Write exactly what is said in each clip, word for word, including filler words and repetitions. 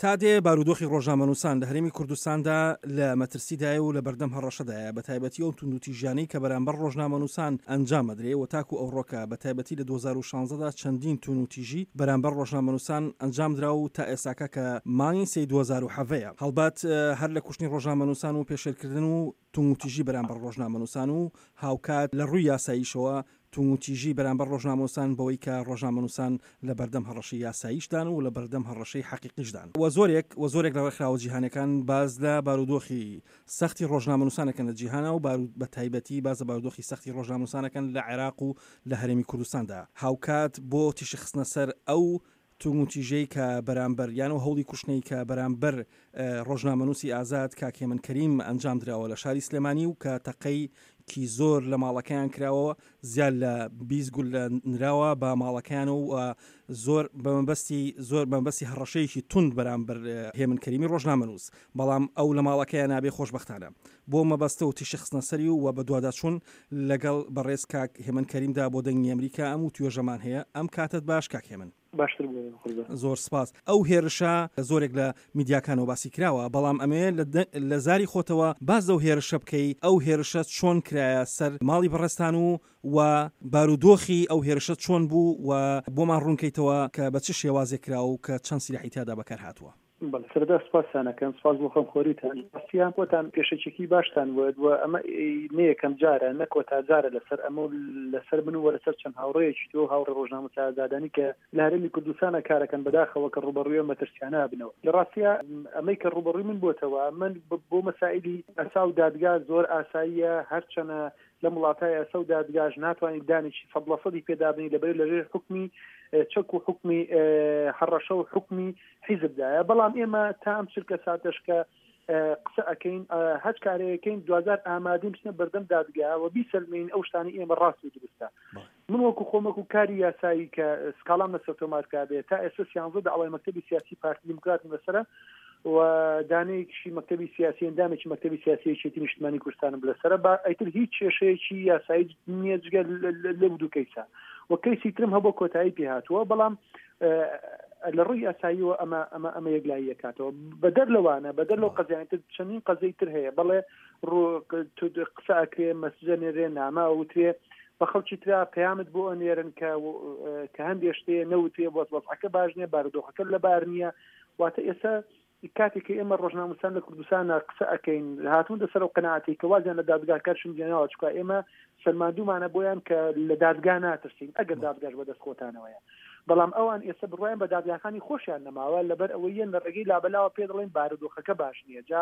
تا دێ بارودۆخی ڕۆژنامەنووسان لە هەرێمی کوردستاندا لە مەترسیدایە و لە بەردەم هەڕەشەدایە، بە تایبەتی ئەو توندوتیژیانەی کە بەرامبەر ڕۆژنامەنووسان ئەنجام ئەدرێ و تاکو ئەوڕۆکە بە تایبەتی لە دوو هەزار و شازدە دا چەندین توندوتیژی بەرامبەر ڕۆژنامەنووسان ئەنجامدرا و تا ئێستاکە کە مانگی سێی دوو هەزار و حەڤدە یە. هەڵبەت هەر لە کوشتنی ڕۆژنامەنووسان و پێشێلکردن و توندوتیژی بەرامبەر ڕۆژنامەنووسان و هاوکات لە ڕووی یاساییشەوە توندوتیژی بەرامبەر ڕۆژنامەنووسان بەوەی کە ڕۆژنامەنووسان لە بەردەم هەڕەشەی یاساییشدان و لە بەردەم هەڕەشەی حەقیقیشدان و زۆرێک و زۆرێک لە ڕێکخراوە جیهانیەکان باس لە بارودۆخی سەختی ڕۆژنامەنووسانەکەن لە جیهانا و بە تایبەتی باس لە بارودۆخی سەختی ڕۆژنامەنووسانەکەن لە عێراق و لە هەرێمی کوردستاندا. هاوکات بۆ تیشک خستنە سەر ئەو توندوتیژەی کە بەرامبەر یان ئەو هەوڵی کوشتنەی کە بەرامبەر ڕۆژنامەنووسی ئازاد کاک هێمن کەریم ئەنجام دراوە لە شاری سلێمانی و کە تەقەی کی زۆر لە ماڵەکەیان کراوە، زیاد لە بیست گوللە نراوە بە ماڵەکەیان و زۆر بە مەبەستی زۆر بە مەبەستی هەڕەشەیەکی توند بەرامبەر هێمن کەریمی ڕۆژنامەنووس، بەڵام ئەو لە ماڵەکەیان نابێ خۆشبەختانە بۆ مەبەستە و تیشک خستنە سەری و بەدواداچوون لەگەڵ بەڕێز کاک هێمن کەریمدا بۆ دەنگی ئەمریکا ئەم وتوێژەمان هەیە. ئەم کاتەت باش کاک هێمن. باشتر بوو قوربان. زۆر سپاس. ئەو هێرشە لە زۆرێک لە میدیاکانەوە باسی کراوە، بەڵام ئەمەوێ لە زاری خۆتەوە باس لەو هێرشە بکەی، ئەو هێرشە چۆن کرایە سەر ماڵی بەڕێزتان و و بارودۆخی ئەو هێرشە چۆن بوو و بۆمان ڕوونکەیتەوە کە بە چ شێوازێک کرا و کە چەند سیلاحی تیادا بەکار هاتووە. بەڵێ سەرەتا سپاستان ئەکەم، سپاس بۆ خەمخۆریتان. ڕاستیان خۆتان پێشەکیەکی باشتان وت و ئەمە نە یەکەم جارە نە کۆتا جارە لەسەر ئەمە و لەسەر من و لەسەر چەند هاوڕێیەکی تۆ هاوڕێ ڕۆژنامەنووسە ئازادانی کە لە هەرێمی کوردستانە کارەکەن، بەداخەوە کە ڕووبەڕووی ئەم مەترسیانە بنەوە. لە ڕاستیا ئەمەی کە ڕووبەڕووی من بۆتەوە، من بۆ مەسائلی یاسا و دادگا زۆر ئاساییە، هەرچەنە لەم وڵاتە یاسا و دادگاش ناتوانیت دانێکی سەد لە سەدی پێدابنی، لەبەر لەژێر حوکمی چەک و حوکمی هەڕەشە و حوکمی حیزبدایە. بەڵام ئێمە تا ئەم چرکە ساتەش کە قسە ئەەکەین، هەچ کارەیەکەین، دوجار ئامادەین بچنە بەردەم دادگا و بیسەلمێنین ئەو شتانەی ئێمە ڕاست و دروستە. من وەکو خۆم وەکو کاری یاسایی کە سکاڵام لەسەر تۆمار کرابێت، تا ئێستا سیانزە داوای مەکتەبی سیاسی پارتی دیموکراتم لەسەرە و دانەیەکیشی مەکتەبی سیاسی، ئەندامێکی مەکتەبی سیاسی یەکێتی نیشتمانی کوردستانم لەسەرە. با ئیتر هیچ کێشەیەکی یاسایی نییە جگە لەو دوو کەیسە و کەیسی ترم هەبوو کۆتایی پێهاتووە، بەڵام لە ڕووی یاساییەوە ئەمە ئەمە ئەمە یەکلایی یەکاتەوە. بەدەر لەوانە، بەدەر لەو قەزیانە تر چەندین قەزیەی تر هەیە. بەڵێ ڕوو قسە ئەکرێ، مەسجە نێرێ، نامە ئەوترێ بە خەڵکی ترا، پەیامت بۆ ئەنێرن کە کە هەندێک شتێ نەوترێ، بۆ وەزعەکە باش نییە، بارودۆخەکە لەبار نییە. واتە ئێستا کاتێک کە ئێمە ڕۆژنامەنووسان لە کوردستانە قسە ئەەکەین، هاتوون لەسەر ئەو قەناعەتەی کە وازیان لە دادگاکەشم جێناوە، چونکە ئێمە سەلماندومانە بۆیان کە لە دادگا ناترسین ئەگەر دادگاش بەدەست خۆتانەوەیە. بەڵام ئەوان ئێستا بڕوایان بە دادگاکانی خۆشیان نەماوە، لەبەر ئەوەی یەن لە ڕێگەی لابەلاوە پێ دەڵێن بارودۆخەکە باش نییە، جا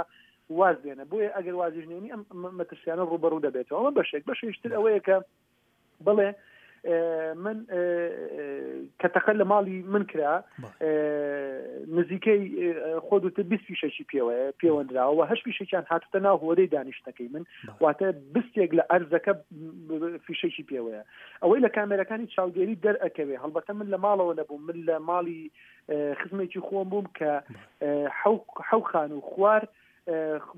واز بێنە. بۆیە ئەگەر وازیش نێنی ئەم مەترسیانە ڕووبەڕوو دەبێتەوە. ئەمە بەشێک. بەشێکتر ئەوەیە کە بڵێ من کە تەقە لە ماڵی من کرا، نزیکەی خۆ دوتر بیست فیشەکی پێوەیە پێوەندراوە، هەشت فیشەکیان هاتوتە ناو هۆدەی دانیشتەکەی من، واتە بستێک لە ئەرزەکە فیشەکی پێوەیە. ئەوەی لە کامێرەکانی چاودێری دەرئەکەوێ، هەڵبەتە من لە ماڵەوە نەبووم، من لە ماڵی خزمێکی خۆم بووم کە حەو خان و خوار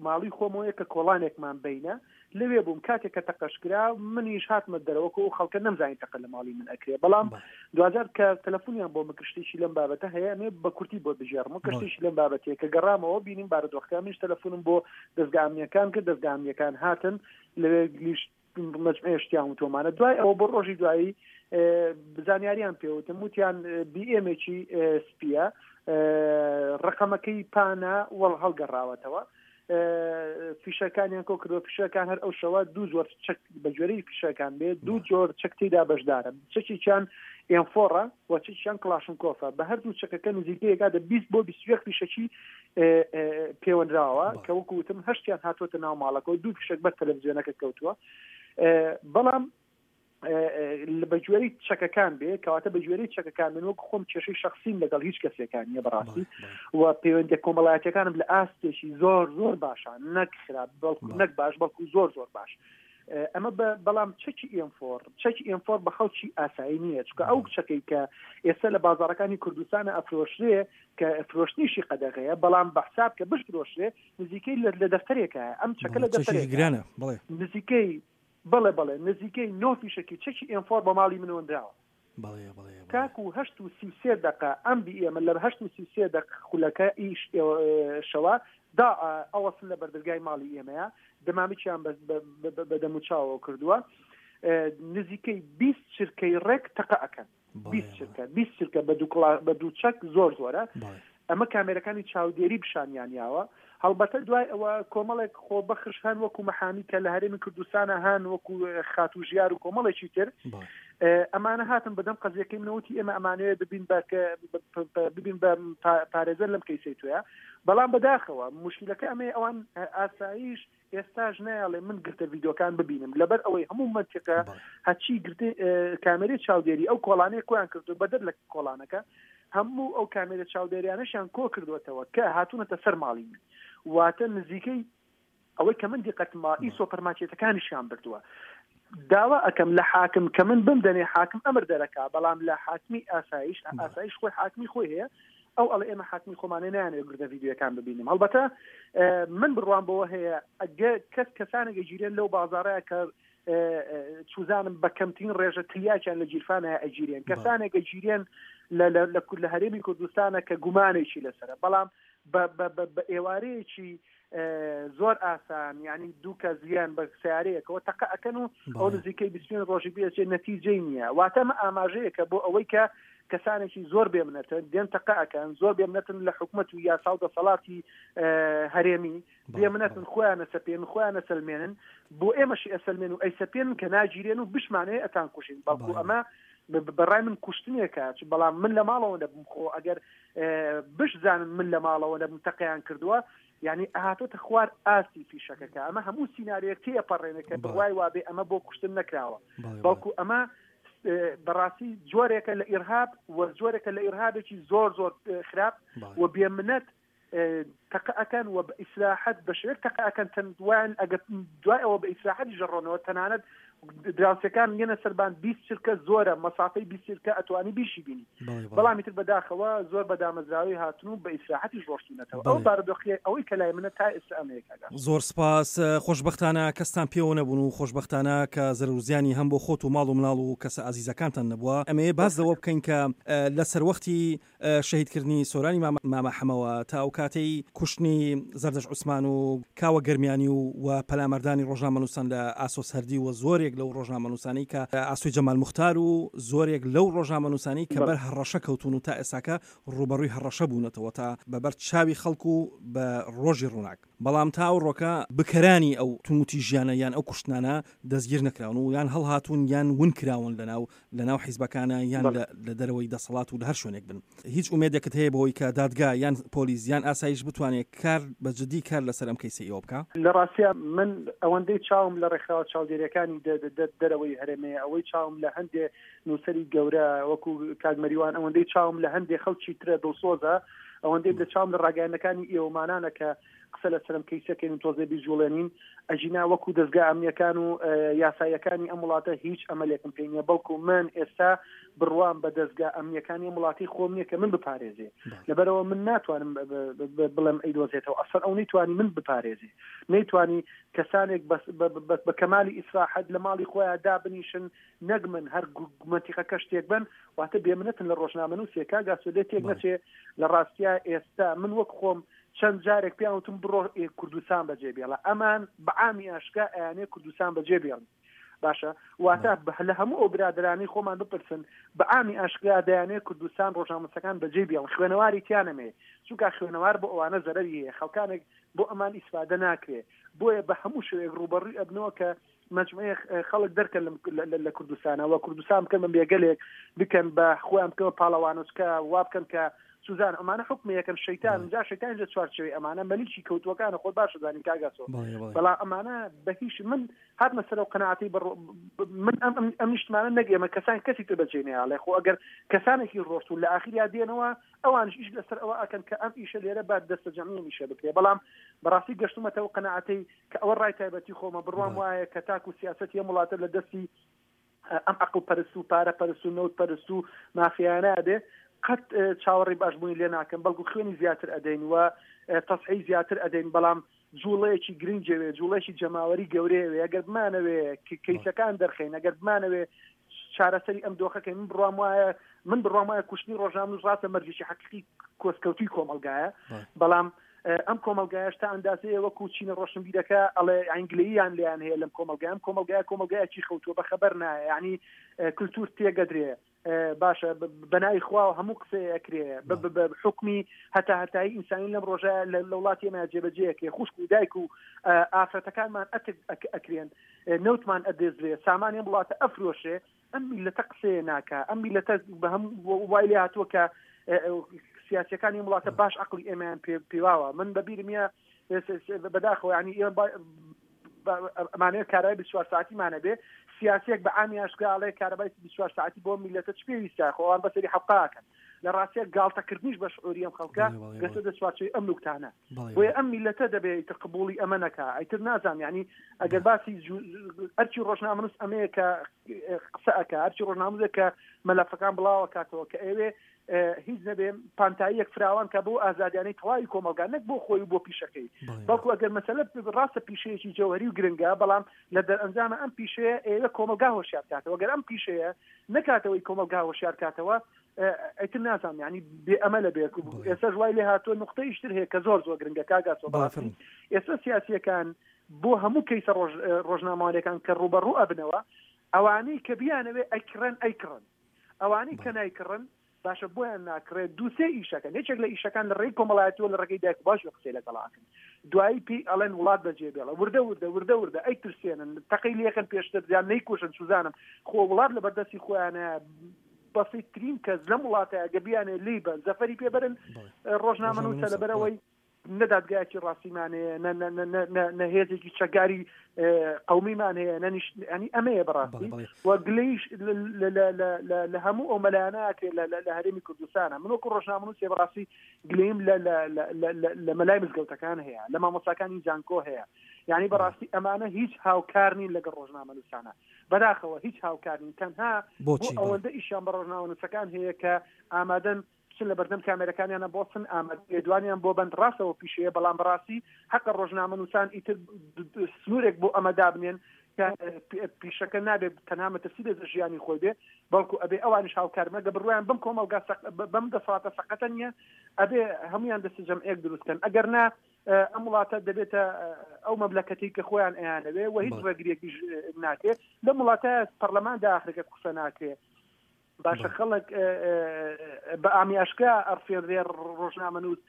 ماڵی خۆمەوەیە کە کۆڵانێکمان بینە، لەوێ بووم کاتێک کە تەقەشکرا. منیش هاتمە دەرەوەکە و خەڵکە نەمزانی تەقە لە ماڵی من ئەکرێ. بەڵام دوجار کە تەلەفۆنیان بۆ مکرشتێکی لەم بابەتە هەیە، ئەمێ بە کورتی بۆ بژێڕم و کەشتێکی لەم بابەتەیە کە گەڕامەوە بینیم بارودۆخەکە، منیش تەلەفۆنم بۆ دەزگا ئەمنیەکان کرد، دەزگا ئەمنیەکان هاتن لەوێ لیش مەجموعەیە شتیان وتۆمانە. دوای ئەوە بۆ ڕۆژی دوایی زانیاریان پێوتم، وتیان بی ئێمێکی سپیە، ڕقەمەکەی پانە وەڵ هەڵگەڕاوەتەوە، فیشەکانیان کۆ کردووە. فیشەکان هەر ئەو شەوە دوو جۆر چەک بە گوێرەی فیشەکان بێت، دوو جۆر چەک تێدا بەشدارە، چەکێکیان ئێمفۆڕە و چەکیان کڵاشنکۆفە. بە هەردوو چەکەکە نزیکەیەکاتە بیست بۆ بیست و یەک فیشەکی پێوەندراوە کە وەکو وتم هەشتیان هاتووەتە ناو ماڵەکە و دوو فیشەک بەر تەلەڤیزیۆنەکە کەوتووە. بەڵام بە گوێرەی چەکەکان بێ، کەواتە بە گوێرەی چەکەکان من وەک خۆم کێشەی شخصیم لەگەڵ هیچ کەسێکان نییە بەڕاستی، و پەیوەندیە کۆمەڵایەتیەکانم لە ئاستێکی زۆر زۆر باشە، نەک خراپ بەڵکو نەک باش بەڵکو زۆر زۆر باش. ئەمە بەڵام چەکی ئێمفۆر، چەکی ئێمفۆر بە خەڵکی ئاسایی نییە، چونکە ئەو چەکەی کە ئێستا لە بازاڕەکانی کوردستانە ئەفرۆشرێ کە فرۆشتنیشی قەدەغەیە، بەڵام بە حساب کە بشفرۆشرێ نزیکەی لە دەفتەرێکە، ئەم چەکە لە دەفتەرێک گرانە، بڵێ نزیکەی بەڵێ بەڵێ نزیکەی نۆ فیشەکی چەکی ئێمفۆر بە ماڵی منەوە دراوە. تاکو هەشت و سی و سێ دقە ئەم بی ئێمە لە هەشت و سی و سێ دقە خولەکە ئیش شەوە دا ئەوەسن لە بەردەرگای ماڵی ئێمەیە دەمامکیان بە دەموچاوەوە کردووە نزیکەی بیست چرکەی ڕێک تەقە ئەکەن بیست چرکە بیست چرکە بە دوو چەک زۆر زۆرە ئەمە کامێرەکانی چاودێری پیشانیان یاوە هەڵبەتە دوای ئەوە کۆمەڵێک خۆبەخش هەن وەکو مەحامی کە لە هەرێمی کوردستانە هەن وەکو خاتوژیار و کۆمەڵێکی تر ئەمانە هاتن بەدەم قەزیەکەی منەوتی ئێمە ئەمانەوێت ببین بە ببین بە پارێزەر لەم کەیسەی تویە بەڵام بەداخەوە مشکلەکە ئەمەیە ئەوان ئاساییش ئێستاش نایڵێ من گرتە ڤیدیۆکان ببینم لەبەر ئەوەی هەموو مەنتیقە هەچی گرتە کامێرەی چاودێری ئەو کۆڵانەیە کۆیان کردو بەدەر لە کۆڵانەکە هەموو ئەو کامێرە چاودێریانەشیان کۆ کردوێتەوە کە هاتوونەتە سەر ماڵی من واتە نزیکەی ئەوەی کە من دیقەتما ئی سۆپەرمارکێتەکانیشیان بردووە داوا ئەەکەم لە حاکم کە من بمدەنێ حاکم ئەمر دەرەکا بەڵام لە حاکمی ئاسایش ئاسایش خۆی حاکمی خۆی هەیە ئەو ئەڵێ ئێمە حاکمی خۆمانێ نایانەوێت گرتە ڤیدیۆکان ببینم هەڵبەتە من بڕوام بەوە هەیە ئەگە کەس کەسانێک ئەگیرێن لەو بازارەیە کە چوزانم بە کەمترین ڕێژە تلیاکیان لە گیرفانە ئەگیرێن کەسانێک ئەگیرێن لە هەرێمی کوردستانە کە گومانێکی لەسەرە بەڵام بە ئێوارەیەکی زۆر ئاسان یعنی دوو کە زیان بە سیارەیەکەوە تەقە ئەکەن و ئەو نزیکەی بیست و پێنج ڕۆژی بێچێت نەتیجەی نییە واتە ئەمە ئاماژەیەکە بۆ ئەوەی کە کەسانێکی زۆر بێمنەتن دێن تەقە ئەکەن زۆر بێمنەتن لە حکومەت و یاسا و دەسەڵاتی هەرێمی بێمنەتن خۆیان ئەسەپێن خۆیان ئەسەلمێنن بۆ ئێمەشی ئەسەلمێن و ئەیسەپێن کە ناگیرێن و بشمانەیە ئەتان کوشین بەڵکو ئەمە بەڕای من کوشتنێکە بەڵام من لە ماڵەوە نەبووم خۆ ئەگەر بشزانن من لە ماڵەوە نەبووم تەقەیان کردووە یعنی هاتۆتە خوار ئاستی فیشەکەکە ئەمە هەموو سیناریۆیەک تێپەڕێنێ کە بڕوای وابێ ئەمە بۆ کوشتن نەکراوە بەڵکو ئەمە بەڕاستی جۆرێکە لە ئیرهاب و جۆرێکە لە ئیرهابێکی زۆر زۆر خراپ و بێمنەت تەقە ئەکەن و بە ئیسراحەت بە شێوەیەک تەقە ئەکەن تەندوان ئەگەر دوای ئەوە بە ئیسراحەتی ژەڕۆنەوە تەنانەت دراوسەکان یەنە سەربان بیست چرکە زۆرە مەسافەی بیست چرکە ئەتوانی بیشی بینی بەڵام ئیتر بەداخەوە زۆر بە دامەزراوی هاتن و بە ئیسراحەتیش ڕۆشتونەتەوە ئەو بارودۆخی ئەوەی کە لای منە تا ئێستا ئەمەیە کاکە. زۆر سپاس. خۆشبەختانە کەستان پێوە نەبوون و خۆشبەختانە کە زەرەرزیانی هەم بۆ خۆت و ماڵ و مناڵ و کەسە ئازیزەکانتان نەبووە. ئەمەیە باز لەوە بکەین کە لە سەروەختی شەهیدکردنی سۆرانی مامە حەمەوە تا ئەو کاتەی کوشتنی زەردەش عوسمان و کاوە گەرمیانی و و پەلاماردانی ڕۆژنامەنووسان لە ئاسۆ سەردی و زۆرێک لەو ڕۆژنامەنووسانەی کە ئاسۆی جەمال موختار و زۆرێک لەو ڕۆژنامەنووسانەی کە بەر هەڕەشە کەوتون و تا ئێساکە ڕوبەڕووی هەڕەشە بوونەتەوە تا بەبەر چاوی خەڵک و بە ڕۆژی ڕووناک، بەڵام تا ئەو ڕۆکە بکەرانی ئەو توندوتیژیانە یان ئەو کوشتنانە دەستگیر نەکراون و یان هەڵهاتوون یان ون کراون لەناو لەناو حیزبەکانە یان لە دەرەوەی دەسەڵات و لە هەر شوێنێک بن. هیچ ئومێدێکت هەیە بەوەی کە دادگا یان پۆلیس یان ئاسایش بتوانێت کار بە جدی کار لەسەر ئەم کەیسە ئێوە بکە؟ لە ڕاستیا من ئەوەندەی چاوم لە ڕێکخراوە چاودێریەکانی دەرەوەی هەرێمەیە، ئەوەی چاوم لە هەندێ نووسەری گەورە وەکو کاک مەریوان، ئەوەندەی چاوم لە هەندێ خەڵکی ترە دڵسۆزە، ئەوەندەی لە چاوم لە ڕاگەیاندنەکانی ئێوەمانانە کە قسە لەسەرم کەیسەکەین و تۆزێ بیجوڵێنین، ئەژینا وەکو دەستگا ئەمنیەکان و یاساییەکانی ئەم وڵاتە هیچ ئەمەلێکم پێ نییە، بەڵکو من ئێستا بڕوام بە دەستگا ئەمنیەکانی ئەم وڵاتی خۆم نییە کە من بپارێزێ، لەبەرەوە من ناتوانم بڵێم ئەیدۆزێتەوە، ئەسڵ ئەو نەیتوانی من بپارێزێ، نەیتوانی کەسانێک بە کەمالی ئیسراحەت لە ماڵی خۆیان دابنیشن نەک من هەر مەنتیقەکە شتێک بن، واتە بێمنەتن لە ڕۆژنامەنووسێک کاک ئاسۆ لێ تێک نەچێ. لە ڕاستیا ئێستا من وەک خۆم چەند جارێک پێیان وتم بڕۆ کوردستان بەجێ بێڵە، ئەمان بەعامی ئاشکا ئەیانێ کوردستان بەجێ بێڵن. باشە واتە لە هەموو ئەو برادرانی خۆمان بپرسن بەعامی ئاشکرا دەیانێ کوردستان ڕۆژنامەنووسەکان بەجێ بێڵن، خوێنەواری تیانەمێ، چونکە خوێنەوار بۆ ئەوانە زەرەری هەیە، خەڵکانێک بۆ ئەمان ئیسفادە ناکرێ، بۆیە بە هەموو شێوەیەک ڕووبەڕووی ئەبنەوە کە مجموعەیە خەڵک دەرکەن لە کوردستانەوە، کوردستان بکەن بە بێگەلێک، بکەن بە خۆیان بکەن بە پاڵەوانۆچکە، وا بکەن کە سوزان ئەمانە حکم یەکەن شەیتان، جا شەیتان لە چوارچێوەی ئەمانە مەلیکی کەوتووەکانە، خۆت باشە زانی کاک ئاسۆ. بەڵام ئەمانە بە هیچ من هاتمە سەر ئەو قەناعەتەی من ئەم نیشتمانە نەک ئێمە کەسان کەسی تر بەجێ نەیاڵێ، خۆ ئەگەر کەسانێکی ڕۆشتون لە ئاخریا دێنەوە ئەوانش ئیش لەسەر ئەوە ئەکەن کە ئەم ئیشە لێرە با دەستە جەمعی ئیشە بکرێ. بەڵام بەڕاستی گەشتومەتەوە قەناعەتەی کە ئەوە ڕای تایبەتی خۆمە، بڕوام وایە کە تاکو سیاسەتی ئەم وڵاتە لە دەستی ئەم عەقڵ پەرست و پارە پەرست و نەوت پەرست و مافیانە بێ قەت چاوەڕێی باشبوونی لێ ناکەم، بەڵکو خوێنی زیاتر ئەدەین و تەسحی زیاتر ئەدەین، بەڵام جوڵەیەکی گرنگەوێ، جوڵەیەکی جەماوەری گەورەیەوێ. ئەگەر بمانەوێ کەیسەکان دەرخەین، ئەگەر بمانەوێ چارەسەری ئەم دۆخەکەی من بڕوام وایە من بڕوام وایە کوشتنی ڕۆژنامەنووس ڕاستە مەرجێکی حەقیقی کۆسکەوتوی کۆمەڵگایە، بەڵام ئەم کۆمەلگایش تا ئەندازەیە وەکو چینە ڕۆشنبیرەکە ئەڵێ ئینگلیزیان لیان هەیە لەم کۆمەلگای، ئەم کۆمەلگای کۆمەلگایەکی خەوتووە بە خەبەر نایە، یعنی کلتور تێگەدرێ باشە بەناوی خوا هەموو قسەیە ئەکرێ بە حکمی هەتا هەتایی ئینسانی لەم ڕۆژە لە وڵاتی ئێمە جێبەجێ خوشک و دایک و ئافرەتەکانمان ئەکرێن، نەوتمان ئەدێزرێ، سامانی ئەم وڵاتە ئەفرۆشێ، ئەم میلەتە قسەیە ناکا، ئەم میلەتە بە هەم وای لێ هاتووە کە سیاسیەکانی وڵاتە باش عقلی ئێمەیان پێواوە. من بەبیرم بەداخەوە ینی ئێمە ئەمانەیە کارەبای بیست و چوار ساعتیمانە بێ، سیاسیەک بە عامی ئاشکرا ئەڵێ کارەبای بیست و چوار ساعتی بۆ میلەتە چ پێویستە، خۆ ئەوان بەسەری حەقاکەن. لە ڕاستیە گاڵتەکردنیش بە شعوری ئەم خەڵکە گەسە دەچوارچێوەی ئەم نوکتانە، بۆیە ئەم میلەتە دەبێ ئیتر قبوڵی ئەمە نەکا. ئیتر نازانم یعنی ئەگەر باسی ئەرکی ڕۆژنامەنووس ئەمەیە کە قسە ئەکا، ئەرکی ڕۆژنامەنووسێک کە مەلەفەکان بڵاوەکاتەوە کە ئەوێ هیچ نەبێ پانتاییەک فراوان کە بۆ ئازادیانەی تەواوی کۆمەلگا نەک بۆ خۆی و بۆ پیشەکەی، بەڵکو ئەگەر مەسەلە ڕاستە پیشەیەکی جەوهری و گرنگە، بەڵام لە دەرئەنجامە ئەم پیشەیە ئێوە کۆمەلگا هۆشیار کاتەوە. ئەگەر ئەم پیشەیە نەکاتەوەی کۆمەلگا هۆشیار کاتەوە ئیتر نازانم یعنی بێ ئەمە لە بێ. ئێستا وای لێ هاتووە نقطەیشتر هەیە کە زۆر زۆر گرنگە کاک ئاسۆ، بەڕاستی ئێستا سیاسیەکان بۆ هەموو کەیسە ڕۆژنامەوانیەکان کە ڕووبەڕوو ئەبنەوە، ئەوانەی کە بیانەوێ ئەیکڕن ئەیکڕن، ئەوانەی کە نایکڕن باشە بۆیان ناکڕێت. دوو سێ ئیشەکەن، یەکێک لە ئیشەکان لە ڕێی کۆمەڵایەتیەوە لە ڕێگەی دایک و باوکی قسەی لەگەڵاکەن، دوایی پێی ئەڵێن وڵات بەجێ بێڵە، وردە وردە وردە وردە ئەی ترسێنن، تەقەی لێکەن پێشتر یان نەیکوژن، سوزانم خۆ وڵات لە بەردەستی خۆیانە. بەسیترین کەس لەم وڵاتە ئەگە بیانێ لی بن زەفەری پێبەرن ڕۆژنامەنووسە، لەبەرەوەی نە دادگایەکی ڕاستیمان هەیە، نە هێزێکی چەکداری قەومیمان هەیە، نە ینی ئەمەیە بەڕاستی. وە گلەیش لە هەموو ئەو مەلایانە ئەکرێت لە هەرێمی کوردستانە. من وەکو ڕۆژنامەنووسێ بەڕاستی گلەیم لە مەلای مزگەوتەکان هەیە، لە مامۆستاکانی زانکۆ هەیە، یعنی بەڕاستی ئەمانە هیچ هاوکار نین لەگەڵ ڕۆژنامەنووسانە، بەداخەوە هیچ هاوکار نین. تەنها بۆ ئەوەندە ئیشیان بە ڕۆژنامەنووسەکان هەیە کە ئامادەن بچن لە بەردەم کامێرەکانیانە بۆسن، ئامادە دوانیان بۆ بەند ڕاستەوە پیشەیە، بەڵام بەڕاستی حەقە ڕۆژنامەنووسان ئیتر سنوورێک بۆ ئەمە دابنێن کە پیشەکە نابێت تەنها مەترسی لە ژیانی خۆی بێ، بەڵکو ئەبێ ئەوانیش هاوکار مەگە بڕوایان بەم کۆمەڵگا بەم دەسەڵاتە سەقەتە نییە، ئەبێ هەمویان دەست جەمعێک دروستکەن. ئەگەر نا ئەم وڵاتە دەبێتە ئەو مەملەکەتەی کە خۆیان ئەیانەوێ و هیچ ڕێگریەکیش ناکرێت. لەم وڵاتە پەرلەماندا ئاخرەکە قسە ناکرێت، باشە خەڵک بە ئامی ئاشکرا ئەڕفێنرێ ڕۆژنامەنووس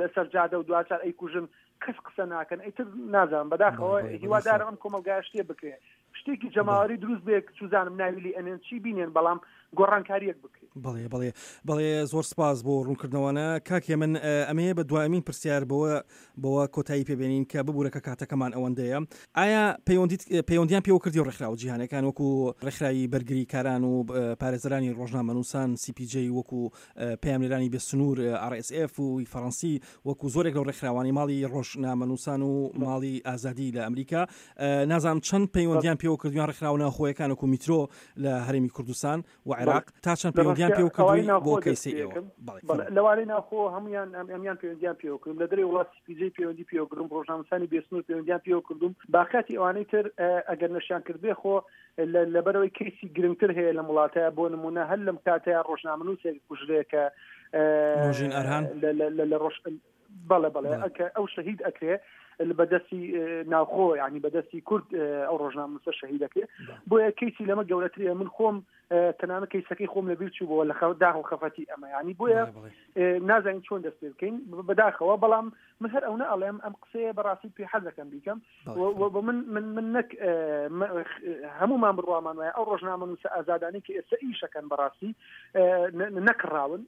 لەسەر جادە و دوچار ئەیکوژن، کەس قسە ناکەن. ئیتر نازانم بەداخەوە هیوادارم ئەم کۆمەڵگایە شتێ بکرێت، شتێکی جەماوەری دروست بێ، چوزانم ناوی لێ ئەنێن چی بینێن، بەڵام گۆڕانکاریەک بکرێت. بەڵێ بەڵێ بەڵێ زۆر سپاس بۆ ڕوونکردنەوەە کاک هێمن. ئەمەیە بە دوایمین پرسیار بەوە بەوە کۆتایی پێبێنین کە ببوورە کە کاتەکەمان ئەوەندەیە. ئایا پەیوەندیان پێوە کردی ڕێکخراوە جیهانەکان وەکو ڕێکخراوی بەرگریکاران و پارێزەرانی ڕۆژنامەنووسان سی پی جی، وەکو پەیامنێرانی بێسنوور ئار ئێس ئێف و فەڕەنسی، وەکو زۆرێک لەو ڕێکخراوانی ماڵی ڕۆژنامەنووسان و ماڵی ئازادی لە ئەمریکا، نازانم چەند پەیوەندیان پێوە کردویان ڕێکخراوە ناوخۆیەکان وەکو میترۆ لە هەرێمی کوردستان و عێراق، تا چەند پەیوەندیان پێوە کردووی بۆ کەیسی ئێوە؟ لەوانەی ناوخۆ هەمویان ئەمیان پەیوەندیان پێوە کردوم، لە دەرەوەی وڵات سی پی جی پەیوەندی پێوە کردوم، ڕۆژنامەنووسانی بێسنوور پەیوەندیان پێوە کردوم. باقیاتی ئەوانەی تر ئەگەر نەشیان کردبێ خۆ لەبەرەوەی کەیسی گرنگتر هەیە لەم وڵاتە، بۆ نمونە هەر لەم کاتەیە ڕۆژنامەنووسێک کوژرێ کە نۆژین ئەرهان لە ڕۆژ بەڵێ بەڵێ ئەو شەهید ئەکرێ بەدەستی ناوخۆ، یعنی بەدەستی کورد ئەو ڕۆژنامەنووسە شەهید ئەکرێ. بۆیە کەیسی لەمە گەورەترە. من خۆم تەنانەت کەیسەکەی خۆم لەبیر چوو بووە لە داخ و خەفەتی ئەمە، یعنی بۆیە نازانین چۆن دەست پێ بکەین بەداخەوە. بەڵام من هەر ئەو نە ئەڵێم ئەم قسەیە بەڕاستی پێ حەز دەکەم بیکەم، من من من نەک هەمومان بڕوامان وایە ئەو ڕۆژنامەنووسە ئازادانەی کە ئێستا ئیشەکەن بەڕاستی نەکڕاون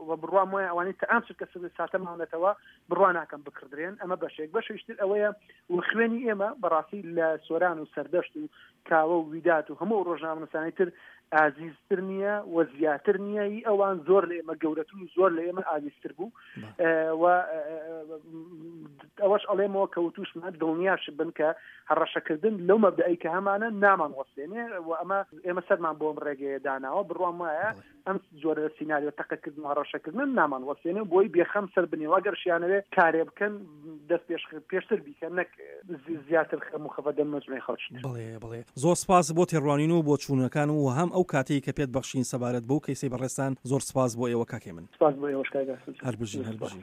و بڕوام وایە ئەوانەی تا ئەم چرکە ساتە ماونەتەوە بڕوا ناکەم بکردرێن. ئەمە بەشێک. بەشێکتر ئەوەیە و خوێنی ئێمە بەڕاستی لە سۆران و سەردەشت و کاوە و ویدات و هەموو ڕۆژنامەنووسانی تر ئازیزتر نییە و زیاتر نییە. ئی ئەوان زۆر لە ئێمە گەورەتر و زۆر لە ئێمە ئازیزتر بوو و ئەوەش ئەڵێمەوە کە وتوشمان دڵنیاش بن کە هەڕەشەکردن لەو مەبدەئەی کە هەمانە نامان وەستێنێ و ئەمە ئێمە سەرمان بۆ ئەم ڕێگەیە داناوە. بڕوام وایە ئەم جۆرە سیناریۆ تەقەکردن و هەڕەشەکردن نامان وەستێنێ، بۆی بێخەم سەر بنێ. ئەگەر شیانەوێ کارێ بکەن دەست پێش پێشتر بیکەن نەک زیاتر خەم و خەفەت دەن مەجموعەی خەڵکی تر. بەڵێ بەڵێ زۆر سپاس بۆ تێڕوانین و بۆچوونەکان و هەم ئەو کاتەی کە پێت بەخشین سەبارەت بەو کەیسەی بەڕێزتان زۆر سپاس بۆ ئێوە کاک هێمن. سپاس بۆ ئێوەش کاک ئاسۆ جان. هەر بژین زۆر هەر سپاس. بژین.